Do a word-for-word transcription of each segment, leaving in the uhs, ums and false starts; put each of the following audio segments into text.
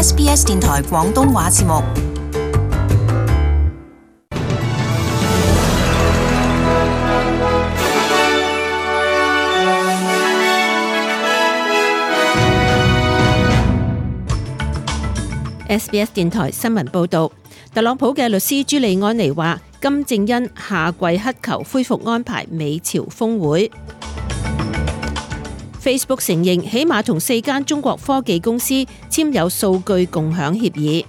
S B S 電台廣東話節目。S B S 電台新聞報導，特朗普嘅律師朱利安尼話，金正恩下跪乞求恢復安排美朝峰會。Facebook 承認起碼同四間中國科技公司簽有數據共享協議。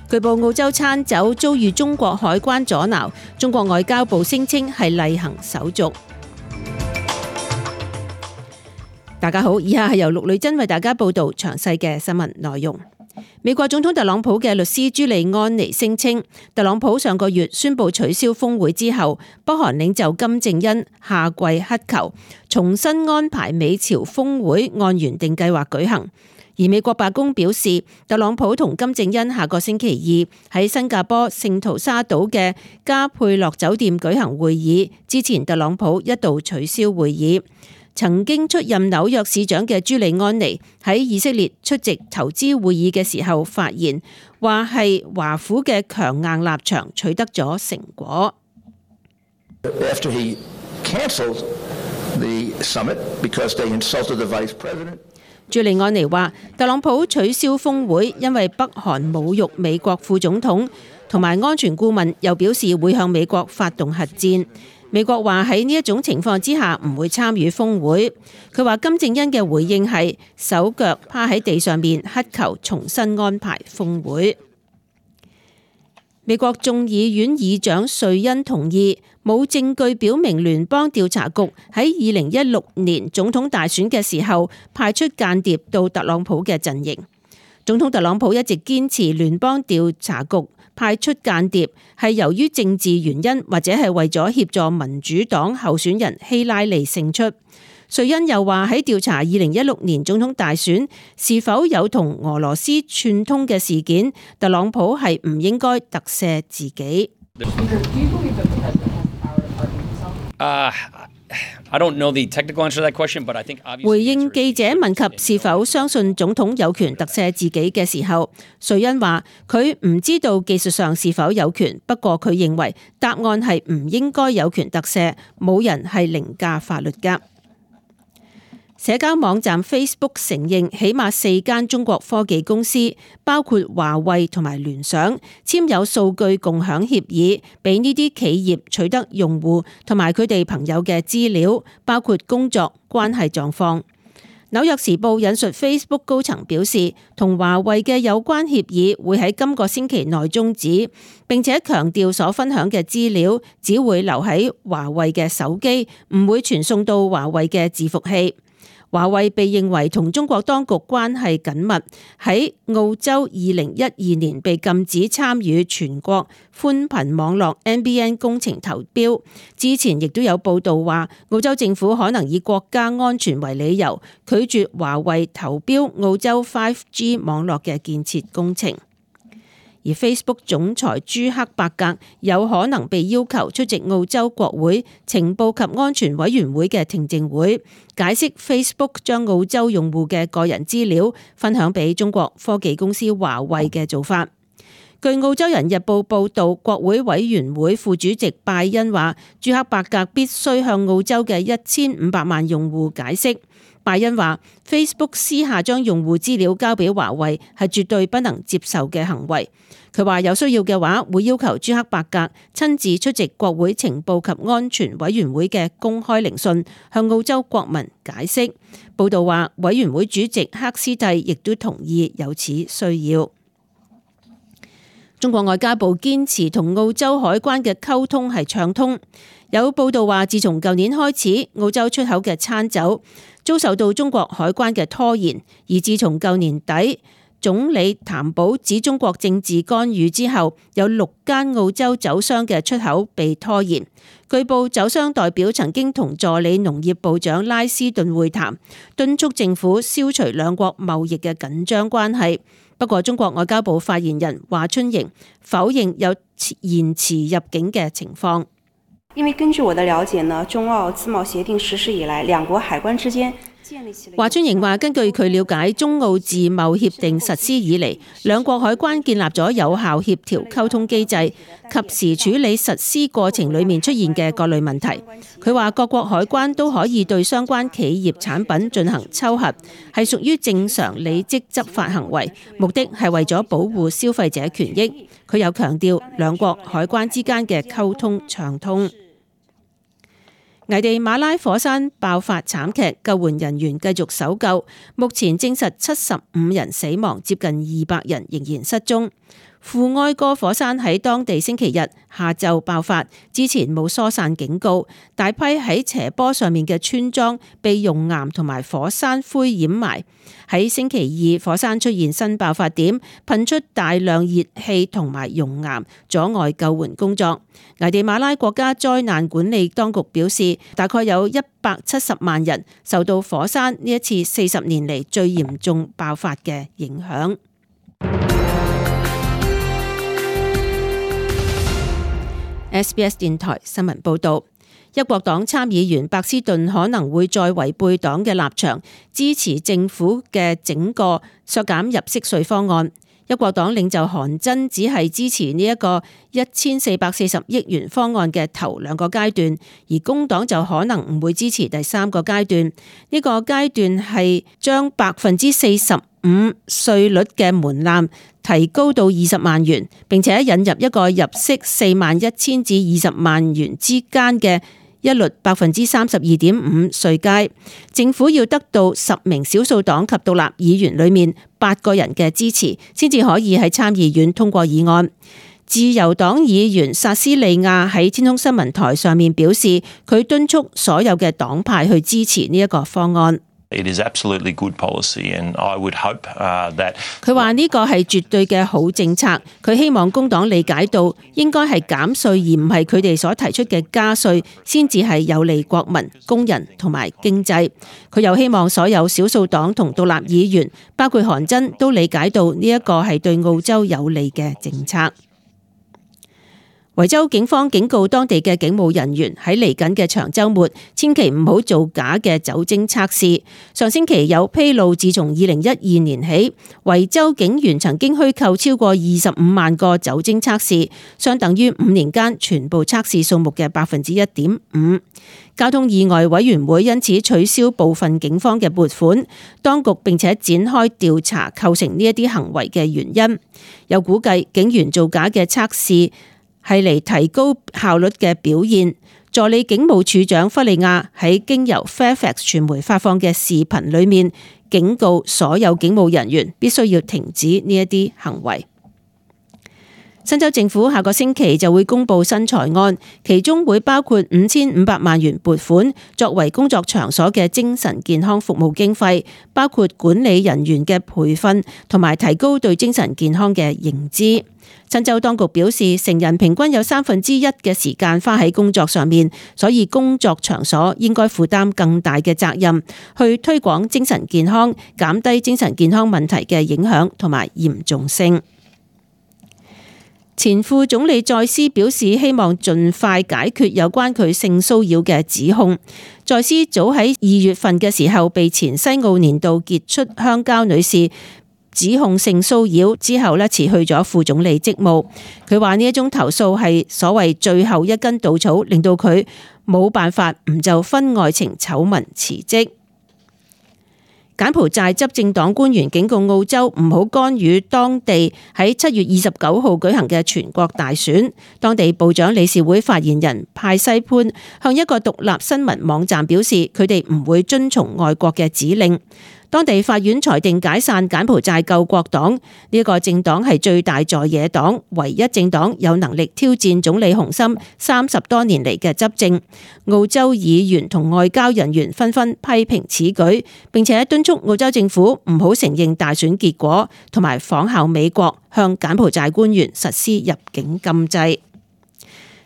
據報澳洲餐酒遭遇中國海關阻撓，中國外交部聲稱係例行手續。大家好，以下係由陸女珍為大家報道詳細嘅新聞內容。美國總統特朗普嘅律師朱利安尼聲稱，特朗普上個月宣布取消峰會之後，北韓領袖金正恩下跪乞求重新安排美朝峰會按原定計劃舉行。而美國白宮表示，特朗普同金正恩下個星期二喺新加坡聖淘沙島嘅加佩洛酒店舉行會議，之前特朗普一度取消會議。曾經出任紐約市長嘅朱利安尼喺以色列出席投資會議嘅時候發言，話係華府嘅強硬立場取得咗成果。After he canceled the summit because they insulted the vice president. 朱利安尼話，特朗普取消峰會，因為北韓侮辱美國副總統同埋安全顧問，又表示會向美國發動核戰。美國話喺呢一種情況之下唔會參與峰會。佢話金正恩嘅回應係手腳趴喺地上面乞求重新安排峰會。美國眾議院議長瑞恩同意冇證據表明聯邦調查局喺二零一六年總統大選嘅時候派出間諜到特朗普嘅陣營。總統特朗普一直堅持聯邦調查局派出間諜係由於政治原因，或者係為咗協助民主黨候選人希拉里勝出。瑞恩又話喺調查二零一六年總統大選是否有同俄羅斯串通嘅事件，特朗普係唔應該特赦自己。Uh, I don't know the technical answer to that question, but I think obviously. 回應記者問及是否相信總統有權特赦自己嘅時候，瑞恩話佢唔知道技術上是否有權，不過佢認為答案係唔應該有權特赦，冇人係凌駕法律㗎。社交網站 Facebook 承認起碼四間中國科技公司，包括華為同埋聯想，簽有數據共享協議，俾呢啲企業取得用戶同埋佢哋朋友嘅資料，包括工作關係狀況。紐約時報引述 Facebook 高層表示，同華為嘅有關協議會喺今個星期內終止，並且強調所分享嘅資料只會留喺華為嘅手機，唔會傳送到華為嘅伺服器。華為被認為同中國當局關係緊密，喺澳洲二零一二年被禁止參與全國寬頻網絡 N B N 工程投標。之前亦都有報道話，澳洲政府可能以國家安全為理由，拒絕華為投標澳洲 五 G 網絡嘅建設工程。而 Facebook 總裁朱克伯格有可能被要求出席澳洲國會情報及安全委員會嘅聽證會，解釋 Facebook 將澳洲用戶嘅個人資料分享俾中國科技公司華為嘅做法。據澳洲人日報報導，國會委員會副主席拜恩話，朱克伯格必須向澳洲嘅一千五百萬用戶解釋。拜恩話 Facebook 私下將用戶資料交俾華為係絕對不能接受嘅行為。佢話有需要嘅話會要求朱克伯格親自出席國會情報及安全委員會嘅公開聆訊，向澳洲國民解釋。報道話委員會主席克斯蒂亦都同意有此需要。中國外交部堅持同澳洲海關嘅溝通係暢通。有報道話，自從舊年開始，澳洲出口嘅餐酒遭受到中國海關嘅拖延，而自從舊年底總理譚寶指中國政治干預之後，有六間澳洲酒商嘅出口被拖延。據報酒商代表曾經同助理農業部長拉斯頓會談，敦促政府消除兩國貿易嘅緊張關係。不過中國外交部發言人華春瑩否認有延遲入境嘅情況。因為根據我的了解呢，中澳自貿協定實施以來，兩國海關之間華春瑩話：根據佢了解，中澳自貿協定實施以嚟，兩國海關建立咗有效協調溝通機制，及時處理實施過程裡面出現嘅各類問題。佢話各國海關都可以對相關企業產品進行抽核，係屬於正常履職執法行為，目的係為咗保護消費者權益。佢又強調兩國海關之間嘅溝通暢通。危地馬拉火山爆發慘劇，救援人員繼續搜救，目前證實七十五人死亡，接近二百人仍然失蹤。富埃哥火山喺當地星期日下晝爆發，之前冇疏散警告，大批喺斜坡上面嘅村莊被熔岩同埋火山灰掩埋。喺星期二，火山出現新爆發點，噴出大量熱氣同埋熔岩，阻礙救援工作。危地馬拉國家災難管理當局表示，大概有一百七十萬人受到火山呢一次四十年嚟最嚴重爆發嘅影響。S B S 電台新聞報道，一國黨參議員白斯頓可能會再違背黨嘅立場，支持政府嘅整個削減入息稅方案。一國黨領袖韓真只係支持呢一個一千四百四十億元方案嘅頭兩個階段，而工黨就可能唔會支持第三個階段。呢個階段係將百分之四十五稅率嘅門檻提高到二十萬元，並且引入一個入息四萬一千至二十萬元之間嘅一律百分之三十二點五稅階。政府要得到十名少數黨及獨立議員裏面八個人嘅支持，先至可以喺參議院通過議案。自由黨議員薩斯利亞喺天空新聞台上面表示，佢敦促所有嘅黨派去支持呢一個方案。It is absolutely good policy, and I would hope that 佢話呢個係絕對嘅好政策。佢希望工黨理解到應該係減稅，而唔係佢哋所提出嘅加稅，先至係有利國民、工人同埋經濟。佢又希望所有少數黨同獨立議員，包括韓真，都理解到呢一個係對澳洲有利嘅政策。維州警方警告當地嘅警務人員喺嚟緊嘅長週末，千祈唔好做假嘅酒精測試。上星期有披露，自從二零一二年起，維州警員曾經虛構超過二十五萬個酒精測試，相等於五年間全部測試數目嘅百分之一點五。交通意外委員會因此取消部分警方嘅撥款，當局並且展開調查構成呢一啲行為嘅原因。有估計警員做假嘅測試係嚟提高效率嘅表現。助理警務處長弗利亞喺經由 Fairfax 傳媒發放嘅視頻裏面，警告所有警務人員必須要停止呢一啲行為。新州政府下個星期就會公布新財案，其中會包括五千五百萬元撥款作為工作場所嘅精神健康服務經費，包括管理人員嘅培訓同埋提高對精神健康嘅認知。新州當局表示，成人平均有三分之一嘅時間花喺工作上面，所以工作場所應該負擔更大嘅責任，去推廣精神健康，減低精神健康問題嘅影響同埋嚴重性。前副總理在斯表示，希望盡快解決有關佢性騷擾嘅指控。在斯早喺二月份嘅時候被前西澳年度傑出鄉郊女士指控性騷擾之後呢，辭去咗副總理職務。佢話呢一宗投訴係所謂最後一根稻草，令到佢冇辦法唔就婚外情醜聞辭職。柬埔寨執政黨官員警告澳洲唔好干預當地喺七月二十九號舉行嘅全國大選。當地部長理事會發言人派西潘向一個獨立新聞網站表示，佢哋唔會遵從外國嘅指令。當地法院裁定解散柬埔寨救國黨，呢一個政黨係最大在野黨，唯一政黨有能力挑戰總理洪森三十多年嚟嘅執政。澳洲議員同外交人員紛紛批評此舉，並且敦促澳洲政府唔好承認大選結果，同埋仿效美國向柬埔寨官員實施入境禁制。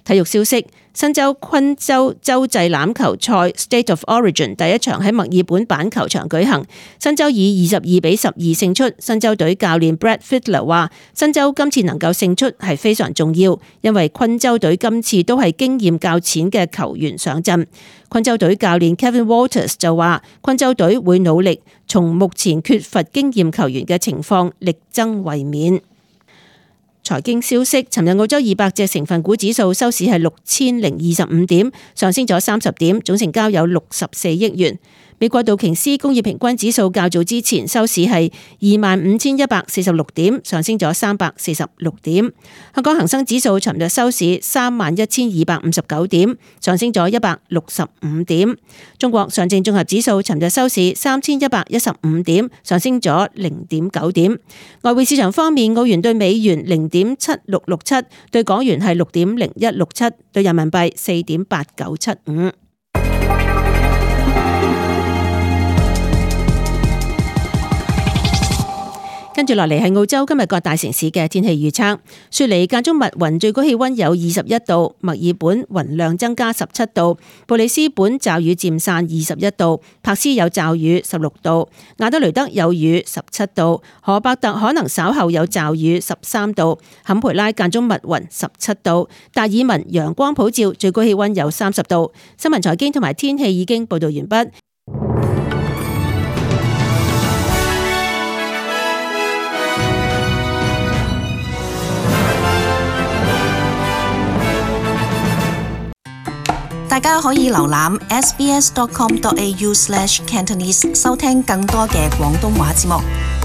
體育消息：新州昆州洲際欖球賽 State of Origin 第一場喺墨爾本板球場舉行，新州以二十二比十二勝出。新州隊教練 Brad Fiedler 話：新州今次能夠勝出係非常重要，因為昆州隊今次都係經驗較淺嘅球員上陣。昆州隊教練 Kevin Walters 就話：昆州隊會努力從目前缺乏經驗球員嘅情況力爭衛冕。財經消息：尋日澳洲二百隻成分股指數收市係六千零二十五點，上升咗三十點，總成交有六十四億元。美國道瓊斯工業平均指數較早之前收市係二萬五千一百四十六點，上升咗三百四十六點。香港恒生指數尋日收市三萬一千二百五十九點，上升咗一百六十五點。中國上證綜合指數尋日收市三千一百一十五點，上升咗零點九點。外匯市場方面，澳元對美元零點七六六七，對港元係六點零一六七，對人民幣四點八九七五。跟住落嚟係澳洲今日各大城市嘅天氣預測。雪梨間中密雲，最高氣溫有二十一度；墨爾本雲量增加十七度；布里斯本驟雨漸散二十一度；柏斯有驟雨十六度；亞德雷德有雨十七度；荷伯特可能稍後有驟雨十三度；坎培拉間中密雲十七度；達爾文陽光普照，最高氣溫有三十度。新聞財經同埋天氣已經報道完畢。大家可以瀏覽 s b s dot com dot a u slash cantonese 收聽更多嘅廣東話節目。